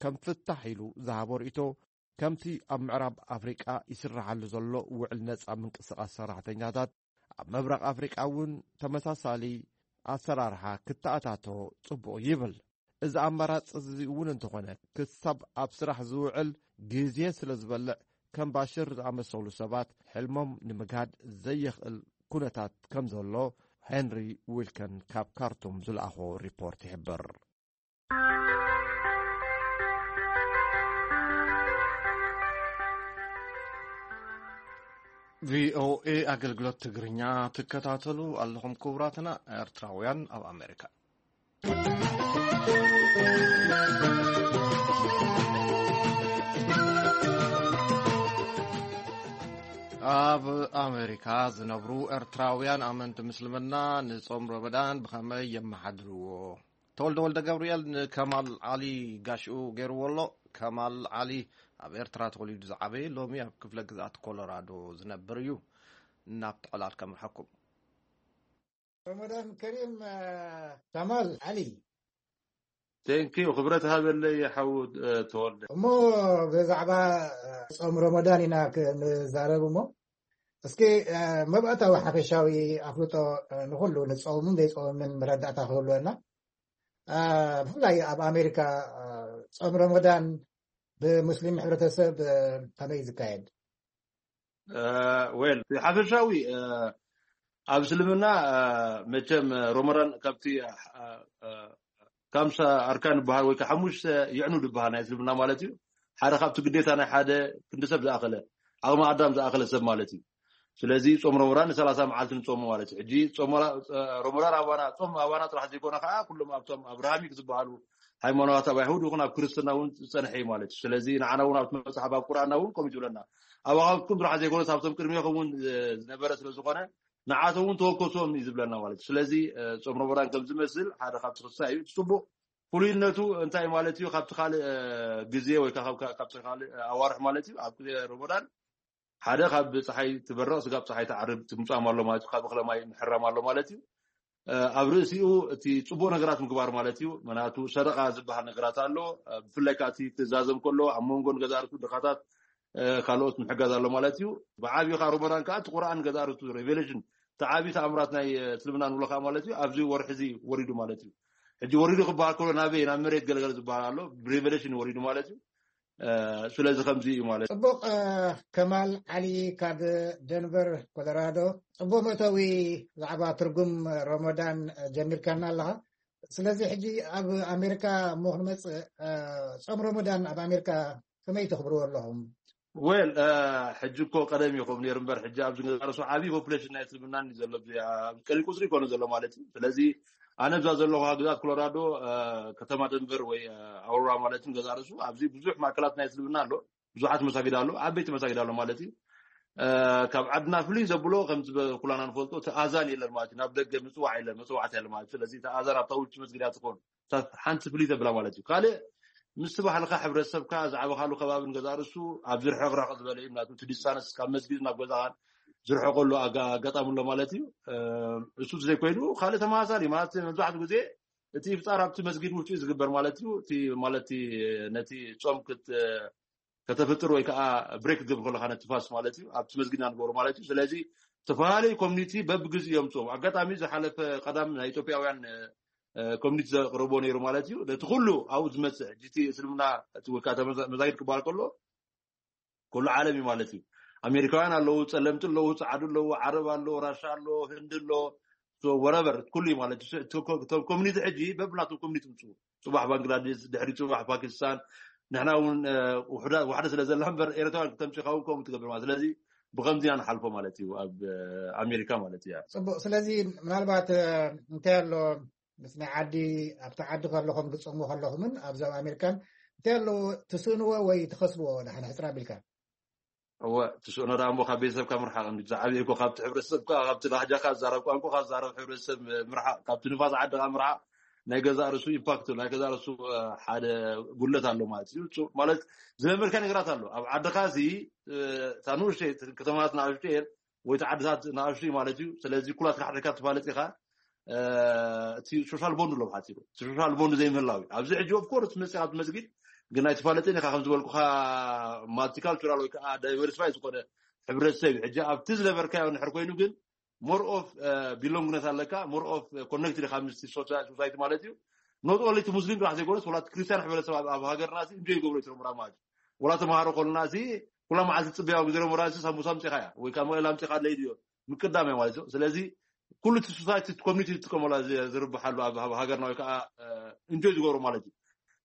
ከም ፍታሕ ኢሉ ዝሃቦ ርእይቶ ከምቲ ኣብ ምዕራብ ኣፍሪቃ ይስራሓሉ ዘሎ ውዕል ነጻ ምንቅስቓስ ሰራሕተኛታት ኣብ ምብራቕ ኣፍሪቃ እውን ተመሳሳሊ ኣሰራርሓ ክተኣታቶ ጽቡቕ ይብል። እዚ ኣማራጺ እዚ እውን እንተኾነ ክሳብ ኣብ ስራሕ ዝውዕል ግዜ ስለ ዝበልዕ ከም ባሽር ዝኣመሰሉ ሰባት ሕልሞም ንምግሃድ ዘየኽእል ኩነታት ከም ዘሎ ሄንሪ ዊልከን ካብ ካርቱም ዝለኣኾ ሪፖርት ይሕብር። ቪኦኤ ኣገልግሎት ትግርኛ ትከታተሉ ኣለኹም ክቡራትና ኤርትራውያን ኣብ ኣሜሪካ። ኣብ ኣሜሪካ ዝነብሩ ኤርትራውያን ኣመንቲ ምስልምና ንጾም ረመዳን ብኸመይ የመሓድርዎ? ተወልደ ወልደ ገብርኤል ንከማል ዓሊ ጋሽኡ ገይርዎ ኣሎ። ከማል ዓሊ ኣብ ኤርትራ ተወሊዱ ዝዓበየ ሎሚ ኣብ ክፍለ ግዝኣት ኮሎራዶ ዝነብር እዩ። ናብ ተዕላል ከምርሐኩም። ረመዳን ከሪም። ከማል ዓሊ። ቴንኪዩ ክብረት ሃበለይ ሓው ተወልደ። እሞ ብዛዕባ ጾም ረመዳን ኢና ክንዛረብ እሞ እስኪ መባእታዊ ሓፈሻዊ ኣፍልጦ ንኹሉ ንጸውምን ዘይጸውምን መረዳእታ ክህልወና። ብፍላይ ኣብ ኣሜሪካ ጾም ረመዳን ብሙስሊም ሕብረተሰብ ከመይ ዝካየድ? ዌል ሓፈሻዊ ኣብ እስልምና መቸም ረመዳን ካብቲ ካምሳ ኣርካን ዝበሃል ወይ ሓሙሽተ ይዕኑ ዝበሃል ናይ እስልምና ማለት እዩ። ሓደ ካብቲ ግዴታ ናይ ሓደ ክንዲ ሰብ ዝኣኸለ፣ ዓቕሚ ኣዳም ዝኣኸለ ሰብ ማለት እዩ። ስለዚ ጾም ረመዳን ን30 መዓልቲ ንጾሞ ማለት እዩ። ሕጂ ጾም ረ-፣ ረመዳን ኣባና፣ ጾም ኣባና ጥራሕ ዘይኮነ ከዓ ኩሎም ኣብቶም ኣብርሃሚክ ዝበሃሉ ሃይማኖታት ኣብ ኣይሁድ ይኹን ኣብ ክርስትና እውን ዝጸንሐ እዩ ማለት እዩ። ስለዚ ንዓና እውን ኣብቲ መጽሓፍ ኣብ ቁርኣንና እውን ከምኡ እዩ ዝብለና። ኣባኻትኩም ጥራሕ ዘይኮነስ ኣብቶም ቅድሜኹም እውን ዝነበረ ስለ ዝኾነ ንዓቶም እውን ተወከሶም እዩ ዝብለና ማለት እዩ። ስለዚ እ፣ ጾም ረመዳን ከም ዝመስል ሓደ ካብቲ ክሳይ እዩ። እቲ ጽቡቕ ፍሉይነቱ እንታይ ማለት እዩ? ካብቲ ካልእ እ፣ ግዜ ወይ ከዓ ካብ፣ ካብ፣ ካብቲ ካልእ ኣዋርሕ ማለት እዩ ኣብ ግዜ ረመዳን ሓደ ካብ ፀሓይ ትበርቕ ስጋብ ፀሓይ ትዓርብ ትምፃም ኣሎ ማለት እዩ። ካብ እኽለ ማይ ምሕራም ኣሎ ማለት እዩ። እ፣ ኣብ ርእሲኡ እቲ ፅቡቕ ነገራት ምግባር ማለት እዩ። ምክንያቱ ሰደቃ ዝበሃል ነገራት ኣሎ። እ፣ ብፍላይ ከዓ እቲ ትእዛዘም ከሎ ኣብ መንጎ ንገዛእ ርእሱ ድኻታት እ፣ ካልኦት ምሕጋዝ ኣሎ ማለት እዩ። ብዓብዩ ከዓ ረመዳን ከዓ እቲ ቁርኣን ገዛእ ርእሱ ሬቨሌሽን እቲ ዓብዩ ተኣምራት ናይ እ፣ እስልምና ንብሎ ከዓ ማለት እዩ። ኣብዚ ወርሒ እዚ ወሪዱ ማለት እዩ። ሕጂ ወሪዱ ክበሃል ከሎ ናበይ ናብ መሬት ገለገለ ዝበሃል ኣሎ። ብሬቨሌሽን ወሪዱ ማለት እዩ። እ፣ ስለዚ ከምዚ እዩ ማለት እዩ። ጽቡቕ እ፣ ከማል ዓሊ ካብ ደንቨር ኮሎራዶ፣ ጽቡቕ መእተዊ። ብዛዕባ ትርጉም ረመዳን እ፣ ጀሚርካና ኣለኻ። ስለዚ ሕጂ ኣብ ኣሜሪካ እሞ ክንመጽእ እ፣ ጾም ረመዳን ኣብ ኣሜሪካ ከመይ ተኽብርዎ ኣለኹም? ወል እ፣ ሕጂ እኮ ቀደም ይኹም ነይሩ እምበር ሕጂ ኣብዚ ገዛ ርእሱ ዓብዪ ፖፑሌሽን ናይ እስልምና እዩ ዘሎ። ኣብዚ ቀሊል ቁፅሪ ይኮነ ዘሎ ማለት እዩ። ስለዚ ኣነ እዛ ዘለኹ ግዛት ኮሎራዶ እ፣ ከተማ ደንቨር ወይ እ፣ ኣውሮራ ማለት እዩ ገዛ ርእሱ ኣብዚ ብዙሕ ማእከላት ናይ እስልምና ኣሎ። ብዙሓት መሳጊድ ኣሎ፣ ዓበይቲ መሳጊድ ኣሎ ማለት እዩ። እ፣ ካብ ዓድና ፍልይ ዘብሎ ከምዚ በ-፣ ኩላና ንፈልጦ እቲ ኣዛን የለን ማለት እዩ። ናብ ደገ ምፅዋዕ የለን፣ መፅዋዕቲ የለን ማለት እዩ። ስለዚ እቲ ኣዛን ኣብታ ውጭ መስጊድ እያ ትኾን። እታ ሓንቲ ፍልይ ተብላ ማለት እዩ። ካልእ ምስቲ ባህልካ ሕብረተሰብካ ዝዓበኻሉ ከባቢ ንገዛ ርእሱ ኣብ ዝርሕቕራቕ ዝበለ እዩ። ምክንያቱ እቲ ዲስታንስ ካብ መስጊድ ናብ ገዛኻን ዝርሕቀሉ ኣጋ-፣ ኣጋጣሚ ኣሎ ማለት እዩ። እ፣ እሱ ዘይኮይኑ ካልእ ተመሳሳሊ ማለት መብዛሕትኡ ግዜ እቲ ኢፍጣር ኣብቲ መስጊድ ውሽጢ እዩ ዝግበር ማለት እዩ። እቲ ማለት እቲ ነቲ ጾም ክት-፣ ከተፍጥር ወይ ከዓ ብሬክ ክትገብር ከለካ ነቲ ፋስት ማለት እዩ ኣብቲ መስጊድና ንገብሮ ማለት እዩ። ስለዚ ዝተፈላለዩ ኮሚኒቲ በብግዜኡ እዮም ጾም። ኣጋጣሚ ዝሓለፈ ቀዳም ናይ ኢትዮጵያውያን እ፣ ኮሚኒቲ ዘቅርቦ ነይሩ ማለት እዩ። ነቲ ኩሉ ኣብኡ ዝመጽእ ሕጂ እቲ እስልምና እቲ ወይ ከዓ ተመዛ-፣ መዛጊድ ክበሃል ከሎ ኩሉ ዓለም እዩ ማለት እዩ። ኣሜሪካውያን ኣለዉ፣ ጸለምቲ ኣለዉ፣ ጸዓዱ ኣለዉ፣ ዓረብ ኣሎ፣ ራሻ ኣሎ፣ ህንዲ ኣሎ፣ so whatever ኩሉ እዩ ማለት እዩ። እቲ ኮ-፣ እቶም ኮሚኒቲ ሕጂ በብናቶም ኮሚኒቲ ምጽኡ። ጽባሕ ባንግላዴሽ፣ ድሕሪ ጽባሕ ፓኪስታን፣ ንሕና እውን እ፣ ውሕዳ-፣ ዋሕደ ስለ ዘላ እምበር ኤርትራውያን ክተምጽኻ እውን ከምኡ ትገብር ማለት። ስለዚ ብኸምዚ ኢና ንሓልፎ ማለት እዩ ኣብ እ፣ ኣሜሪካ ማለት እዩ። ጽቡቕ። ስለዚ ምናልባት እ፣ እንታይ ኣሎ ምስ ናይ ዓዲ ኣብቲ ዓዲ ከለኹም ክትጾሙ ከለኹምን ኣብዚ ኣብ ኣሜሪካን እንታይ ኣለዎ ትስእንዎ ወይ ትኸስብዎ ደሓን ሕጽር ኣቢልካ? እወ ትስእኖ ደኣ እሞ ካብ ቤተሰብካ ምርሓቕ እንዲ ዝዓብየ እኮ ካብቲ ሕብረተሰብካ ካብቲ ላህጃካ ዝዛረብ ቋንቋካ ዝዛረብ ሕብረተሰብ ምርሓቕ ካብቲ ንፋስ ዓድኻ ምርሓቕ ናይ ገዛእ ርእሱ ኢምፓክት ናይ ገዛእ ርእሱ እ፣ ሓደ ጉለት ኣሎ ማለት እዩ። እሱ ማለት ዝለመድካ ነገራት ኣሎ ኣብ ዓድኻ እዚ እ፣ እታ ንኡሽተይ ከተማታት ንኣሽቱ እየን ወይ እቲ ዓድታት ንኣሽቱ እዩ ማለት እዩ። ስለዚ ኩላትካ ሓድሕድካ ትፋለጥ ኢኻ። እ፣ እቲ ሶሻል ቦንድ ኣሎ ብሓፂሩ እቲ ሶሻል ቦንድ ዘይምህላው እዩ። ኣብዚ ሕጂ ኦፍኮርስ መፅእ ኣብቲ መስጊድ ግን ኣይትፋለጥን ኢኻ ከም ዝበልኩኻ ማልቲካልቸራል ወይ ከዓ ዳይቨርሲፋይ ዝኾነ ሕብረተሰብ እዩ። ሕጂ ኣብቲ ዝነበርካዮ ንድሕር ኮይኑ ግን ሞር ኦፍ ቢሎንግነት ኣለካ፣ ሞር ኦፍ ኮነክትድ ኢኻ ምስቲ ሶሳ-፣ ሶሳይቲ ማለት እዩ። ኖት ኦንሊ እቲ ሙስሊም ጥራሕ ዘይኮነስ ወላ እቲ ክርስቲያን ሕብረተሰብ ኣብ፣ ኣብ ሃገርና እዚ እንጆይ ይገብሮ እዩ ረመዳን ማለት እዩ። ወላ ተምሃሮ ከለና እዚ ኩላ መዓልቲ ትጽበያ ኣብ ግዜ ረመዳን እዚ ሳምቡሳ ኣምጺኻ እያ ወይ ካብ መቐለ ኣምጺኻ ኣለይ ድዮ ምቅዳም እያ ማለት እዩ። ስለዚ ኩሉ እቲ ሶሳይቲ እቲ ኮሚኒቲ ዝጥቀመላ ዝ-፣ ዝርብሓሉ ኣብ፣ ኣብ ሃገርና ወይ ከዓ እ፣ እንጆይ ዝገብሮ ማለት እዩ።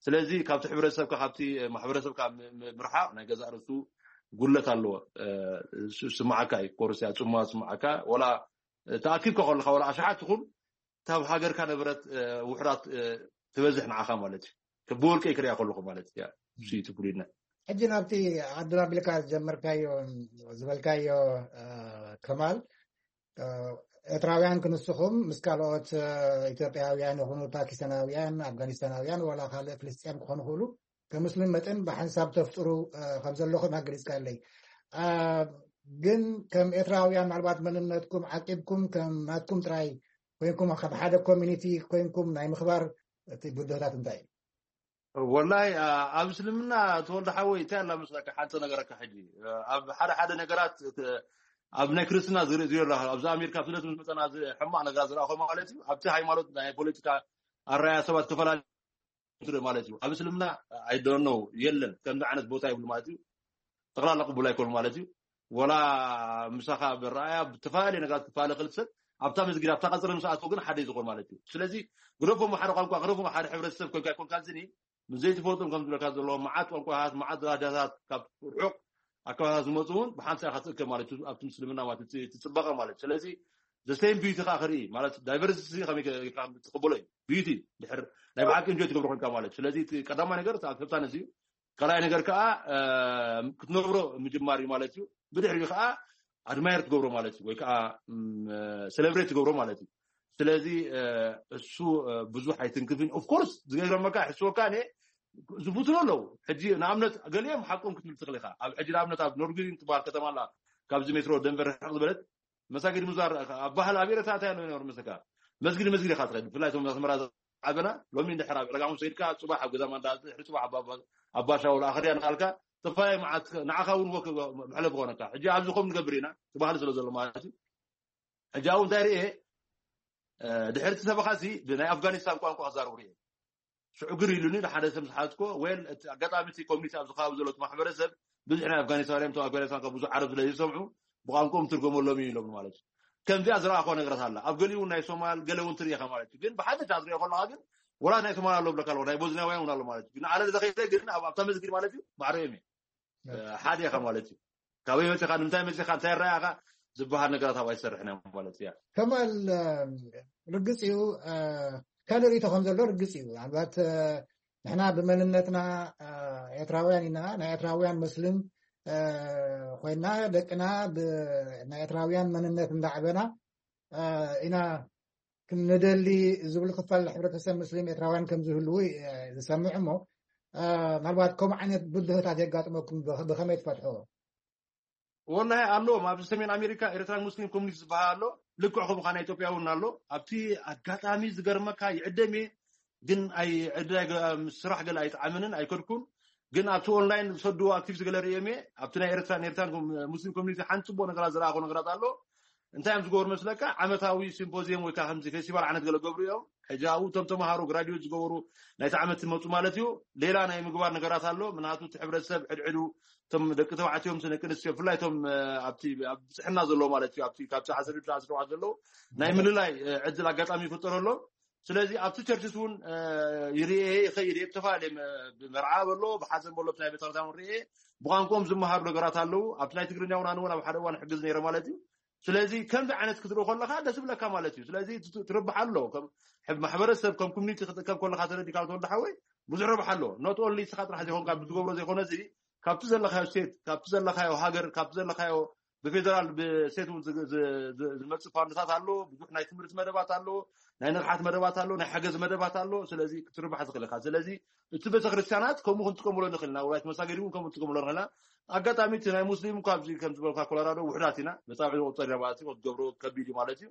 ስለዚ ካብቲ ሕብረተሰብካ ካብቲ ማሕበረሰብካ ም-፣ ም-፣ ምርሓቕ ናይ ገዛእ ርእሱ ጉድለት ኣለዎ። እ፣ ስ-፣ ስምዓካ እዩ ኮርስ እያ ጽማ ስምዓካ ወላ ተኣኪብካ ከለካ ወላ ኣሽሓት ትኹን ካብ ሃገርካ ነበረት እ፣ ውሑዳት እ፣ ትበዝሕ ንዓኻ ማለት እዩ። ብወልቀይ ክሪኣ ከለኹ ማለት እዩ። እሱ እዩ እቲ ፍሉይነት። ሕጂ ናብቲ ዓድና ቢልካ ዝጀመርካዮ ዝበልካዮ እ፣ ከማል እ፣ ኤርትራውያን ክንስኹም ምስ ካልኦት እ፣ ኢትዮጵያውያን ይኹኑ ፓኪስታናውያን ኣፍጋኒስታናውያን ዋላ ካልእ ፍልስጥያም ክኾኑ ይኽእሉ ከሙስሊም መጠን ብሓንሳብ ተፍጥሩ እ፣ ከም ዘለኹም ኣገሊጽካለይ። እ፣ ግን ከም ኤርትራውያን ምናልባት መንነትኩም ዓቂብኩም ከም ናትኩም ጥራይ ኮይንኩም ከም ሓደ ኮሚኒቲ ኮይንኩም ናይ ምኽባር እቲ ብድሆታት እንታይ እዩ? ወላይ አ፣ ኣብ እስልምና ተወልደ ሓወይ እንታይ ኣላ መስለካ ሓንቲ ነገረካ ሕጂ እ፣ ኣብ ሓደ ሓደ ነገራት እ፣ ኣብ ናይ ክርስትና ዝርኢ ዝርኢ ኣለካ ኣብዚ ኣሜሪካ ስደት ምስ መፀና እዚ ሕማቕ ነገራት ዝረኣኹ ማለት እዩ። ኣብቲ ሃይማኖት ናይ ፖለቲካ ኣረኣያ ሰባት ከፈላለ ትርኢ ማለት እዩ። ኣብ እስልምና ኣይደኖ የለን ከምዚ ዓይነት ቦታ ይብሉ ማለት እዩ። ጠቕላላ ቅቡል ኣይኮኑ ማለት እዩ። ወላ ምሳኻ ብረኣያ ብተፈላለየ ነገራት ክፈላለ ክእል ሰብ ኣብታ መስጊድ ኣብታ ቀፅሪ ምስ ኣተው ግን ሓደ እዩ ዝኾን ማለት እዩ። ስለዚ ግደፎም ሓደ ቋንቋ ግደፎም ሓደ ሕብረተሰብ ኮንካ ይኮንካ ዝኒ ምስ ዘይትፈልጦም ከም ዝብለካ ዘለዎ መዓት ቋንቋታት፣ መዓት ላህጃታት ካብ ርሑቕ ኣካባቢታት ዝመፁ እውን ብሓንሳ ኢኻ ትእከብ ማለት እዩ። ኣብቲ ምስልምና ማለት እቲ እቲ ፅባቐ ማለት እዩ። ስለዚ ዘሰይም ቢዩቲ ከዓ ክርኢ ማለት ዳይቨርሲቲ ከመይ ከ- ኢልካ ትቕበሎ እዩ። ቢዩቲ ድሕር ናይ ብሓቂ እንጆይ ትገብሮ ኮንካ ማለት እዩ። ስለዚ እቲ ቀዳማይ ነገር እቲ ኣክሰፕታንስ እዩ። ካልኣይ ነገር ከዓ እ፣ ክትነብሮ ምጅማር እዩ ማለት እዩ። ብድሕሪኡ ከዓ ኣድማየር ትገብሮ ማለት እዩ፣ ወይ ከዓ ም፣ ሴሌብሬት ትገብሮ ማለት እዩ። ስለዚ እ፣ እሱ እ፣ ብዙሕ ኣይትንክፍን። ኦፍኮርስ ዝገርመካ ሕስወካ እኔ ዝፍትኑ ኣለዉ። ሕጂ ንኣብነት ገሊኦም ሓቆም ክትብል ትኽእል ኢኻ። ኣብ ሕጂ ንኣብነት ኣብ ኖርግሪን ትበሃል ከተማ ኣላ፣ ካብዚ ሜትሮ ደንቨር ርሕቕ ዝበለት መሳጊድ ምዛር ኣብ ባህል ኣብ ኤረታ እንታይ ኣሎ ይነብር መስለካ? መስጊድ መስጊድ ኢኻ ትኸድ። ብፍላይ እቶም ኣስመራ ዝዓበና ሎሚ እንድሕር ኣብ ዕረጋሙ ሰይድካ ጽባሕ ኣብ ገዛ ማንዳ ድሕሪ ጽባሕ ኣብ ኣባ- ኣብ ባሻውል ኣኽርያ ንኻልካ ተፋይ መዓት ንዓኻ እውን ወክ መሕለፊ ኾነካ። ሕጂ ኣብዚ ከም ንገብር ኢና እቲ ባህሊ ስለ ዘሎ ማለት እዩ። ሕጂ ኣብኡ እንታይ ርኤ ድሕርቲ ሰበኻሲ ብናይ ኣፍጋኒስታን ቋንቋ ክዛረቡ ርኤ ሽዑ ግር ኢሉኒ። ንሓደ ሰብ ዝሓዝኮ ወል እቲ ኣጋጣሚ እቲ ኮሚኒቲ ኣብዚ ከባቢ ዘሎ እቲ ማሕበረሰብ ብዙሕ ናይ ኣፍጋኒስታን እዮም። ኣፍጋኒስታን ካብ ብዙሕ ዓረብ ስለ ዝሰምዑ ብቋንቋኦም ትርጎመሎም እዩ ኢሎም ማለት እዩ። ከምዚኣ ዝረኣኾ ነገራት ኣላ። ኣብ ገሊኡ እውን ናይ ሶማል ገለ እውን ትርኢኻ ማለት እዩ። ግን ብሓፈሻ ዝሪኦ ከለካ ግን ወላት ናይ ሶማል ኣሎ ብለካ ኣለዎ፣ ናይ ቦዝናውያን እውን ኣሎ ማለት እዩ። ግን ኣነ ዝኸይደ ግን ኣብ ኣብታ መስጊድ ማለት እዩ ማዕረዮም እዩ ሓደ ኢኻ ማለት እዩ። ካበይ መፂኻ፣ ንምንታይ መፂኻ፣ እንታይ ረኣኻ ዝበሃል ነገራት ኣብ ኣይሰርሕን እዮም ማለት እያ። ከማል ርግፅ እዩ። ካልእ ርእቶ ከም ዘሎ ርግፅ እዩ። ምናልባት ንሕና ብመንነትና ኤርትራውያን ኢና፣ ናይ ኤርትራውያን መስልም ኮይና ደቅና ናይ ኤርትራውያን መንነት እንዳዕበና ኢና ክንደሊ ዝብል ክፋል ሕብረተሰብ ምስሊም ኤርትራውያን ከም ዝህልዉ ዝሰምዕ እሞ፣ ምናልባት ከምኡ ዓይነት ብድሆታት የጋጥመኩም ብኸመይ ትፈትሕዎ? ወላሂ ኣለዎም። ኣብዚ ሰሜን ኣሜሪካ ኤርትራን ሙስሊም ኮሚኒቲ ዝበሃል ኣሎ። ልክዕ ከምኡ ናይ ኢትዮጵያ እውን ኣሎ። ኣብቲ ኣጋጣሚ ዝገርመካ ይዕደም እየ ግን ኣይ ዕድል ኣይገ- ስራሕ ገለ ኣይጠዓመንን ኣይከድኩን። ግን ኣብቲ ኦንላይን ዝሰድዎ ኣክቲቪቲ ገለ ርእዮም እየ። ኣብቲ ናይ ኤርትራን ኤርትራን ኮም- ሙስሊም ኮሚኒቲ ሓንቲ ፅቡቅ ነገራት ዝረኣኹ ነገራት ኣሎ። እንታይ እዮም ዝገብሩ መስለካ? ዓመታዊ ሲምፖዚየም ወይ ከዓ ከምዚ ፌስቲቫል ዓይነት ገለ ገብሩ እዮም። ሕጂ ኣብኡ እቶም ተምሃሮ ግራጁዌት ዝገበሩ ናይቲ ዓመት ዝመፁ ማለት እዩ። ሌላ ናይ ምግባር ነገራት ኣሎ። ምክንያቱ እቲ ሕብረተሰብ ሕድሕዱ እቶም ደቂ ተባዕትዮም ደቂ ኣንስትዮ ብፍላይ እቶም ኣብቲ ኣብ ብፅሕና ዘለዎ ማለት እዩ ኣብቲ ካብ ዓሰርተ ሸውዓተ ዘለዉ ናይ ምልላይ ዕድል ኣጋጣሚ ይፍጠረሎም። ስለዚ ኣብቲ ቸርችስ እውን ይርኤ ይኸይድ እየ። ብተፈላለየ ብመርዓ በሎ ብሓዘን በሎ ናይ ቤተክርስትያን ርኤ ብቋንቋኦም ዝመሃሩ ነገራት ኣለዉ። ኣብቲ ናይ ትግርኛ እውን ኣነ እውን ኣብ ሓደ እዋን ሕግዝ ነይረ ማለት እዩ። ስለዚ ከምዚ ዓይነት ክትርኢ ከለካ ደስ ብለካ ማለት እዩ። ስለዚ ትርብሓ ኣሎ። ማሕበረሰብ ከም ኮሚኒቲ ክትእከብ ከለካ ተረዲካ ተወልደ ሓወይ ብዙሕ ረብሓ ኣሎ። ኖት ኦንሊ ስኻ ጥራሕ ዘይኮንካ ብትገብሮ ዘይኮነ እዚ ካብቲ ዘለካዮ ስቴት፣ ካብቲ ዘለካዮ ሃገር፣ ካብቲ ዘለካዮ ብፌደራል ብስቴት እውን ዝመፅእ ፋንድታት ኣሎ። ብዙሕ ናይ ትምህርቲ መደባት ኣሎ፣ ናይ ንቕሓት መደባት ኣሎ፣ ናይ ሓገዝ መደባት ኣሎ። ስለዚ ክትርባሕ ዝኽእል ኢኻ። ስለዚ እቲ ቤተክርስትያናት ከምኡ ክንጥቀምሎ ንኽእል ኢና። ውራይት መሳገዲ እውን ከምኡ ንጥቀምሎ ንኽእል ኢና። ኣጋጣሚ እቲ ናይ ሙስሊም እኳ ኣብዚ ከም ዝበልካ ኮሎራዶ ውሕዳት ኢና። መፃብዒ ዝቁፀር ኢና ማለት እዩ። ክትገብሮ ከቢድ እዩ ማለት እዩ።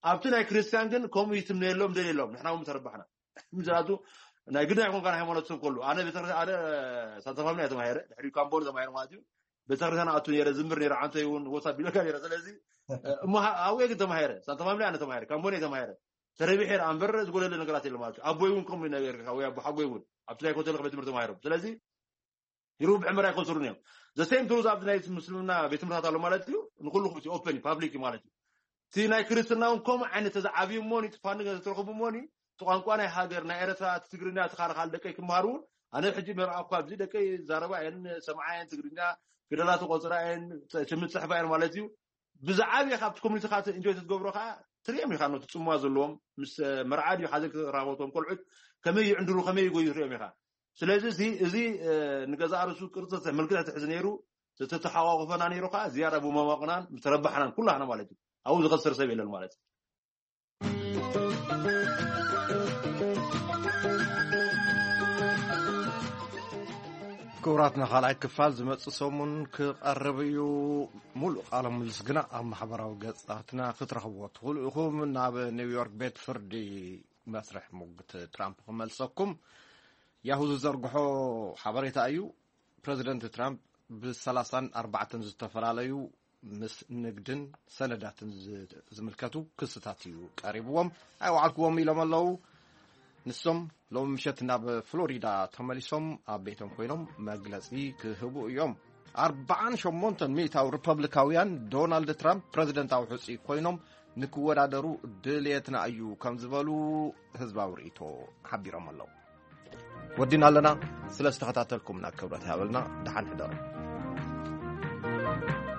ኣብቲ ናይ ክርስትያን ግን ከምኡ ይትምነየሎም ደልየሎም ንሕና እውን ተረባሕና። ምክንያቱ ናይ ግዳ ይኮንካ ናይ ሃይማኖት ሰብ ከሉ ኣነ ቤተክርስትያን ኣነ ሳንታ ፋሚሊ እየ ተማሂረ ድሕሪ ካምቦን ተማሂረ ማለት እዩ። ቤተክርስትያን ኣቱ ነረ ዝምር ነረ ዓንተ ይውን ወሳ ቢለካ ነረ ስለዚ እሞ ኣብኡ ግን ተማሂረ ሳንታ ፋሚሊ ኣነ ተማሂረ ካምቦን እየ ተማሂረ ተረቢሐ ረ ኣንበር ዝጎደለ ነገራት የለ ማለት እዩ። ኣቦይ እውን ከምኡ ነገር ወይ ኣቦ ሓጎይ እውን ኣብቲ ናይ ኮተል ቤት ትምህርቲ ተማሂሮም ስለዚ ይሩብ ዕምር ኣይቆፅሩን እዮም። ዘሴም ትሩዝ ኣብዚ ናይ ምስልምና ቤት ትምህርታት ኣሎ ማለት እዩ። ንኩሉ እቲ ኦፐን ፓብሊክ ማለት እዩ። እቲ ናይ ክርስትና እውን ከምኡ ዓይነት ተዝዓብዩ እሞኒ ትፋንገ ዝተረኽቡ እሞኒ እቲ ቋንቋ ናይ ሃገር ናይ ኤረትራ እቲ ትግርኛ እቲ ካልኻል ደቀይ ክምሃር እውን ኣነ ሕጂ መርኣ እኳ ኣብዚ ደቀይ ዛረባ እየን ሰምዓ እየን ትግርኛ ፊደላት ቆፅራ እየን ሽምት ፅሕፋ እየን ማለት እዩ። ብዝዓብየ ካብቲ ኮሚኒቲካ እንጆይ ትገብሮ ከዓ ትሪኦም ኢካ ኖቲ ፅምዋ ዘለዎም ምስ መርዓ ድዩ ሓዘን ክራኸቦቶም ቆልዑት ከመይ ይዕንድሩ ከመይ ይጎዩ ትሪኦም ኢካ። ስለዚ እዚ እዚ ንገዛእ ርእሱ ቅርፂ ምልክት ትሕዚ ነይሩ ዝተተሓቋቁፈና ነይሩ ከዓ ዝያዳ ብመማቕናን ምተረባሕናን ኩላህና ማለት እዩ። ኣብኡ ዝኸስር ሰብ የለን ማለት እዩ። ክቡራትና ካልኣይ ክፋል ዝመፅእ ሰሙን ክቐርብ እዩ። ሙሉእ ቃለ ምልስ ግና ኣብ ማሕበራዊ ገፃትና ክትረኽብዎ ትኽእሉ ኢኹም። ናብ ኒውዮርክ ቤት ፍርዲ መስርሕ ሙግት ትራምፕ ክመልሰኩም ያሁ ዝዘርግሖ ሓበሬታ እዩ። ፕረዚደንት ትራምፕ ብሰላሳን ኣርባዕተን ዝተፈላለዩ ምስ ንግድን ሰነዳትን ዝምልከቱ ክስታት እዩ ቀሪብዎም። ኣይወዓልክዎም ኢሎም ኣለዉ። ንሶም ሎም ምሸት ናብ ፍሎሪዳ ተመሊሶም ኣብ ቤቶም ኮይኖም መግለጺ ክህቡ እዮም። ኣርባዓን ሸሞንተን ሚእታዊ ሪፐብሊካውያን ዶናልድ ትራምፕ ፕረዚደንታዊ ሕጹይ ኮይኖም ንክወዳደሩ ድልየትና እዩ ከም ዝበሉ ህዝባዊ ርእይቶ ሓቢሮም ኣለዉ። ወዲና ኣለና። ስለ ዝተኸታተልኩምና ክብረት ይሃበልና። ደሓን ሕደሩ።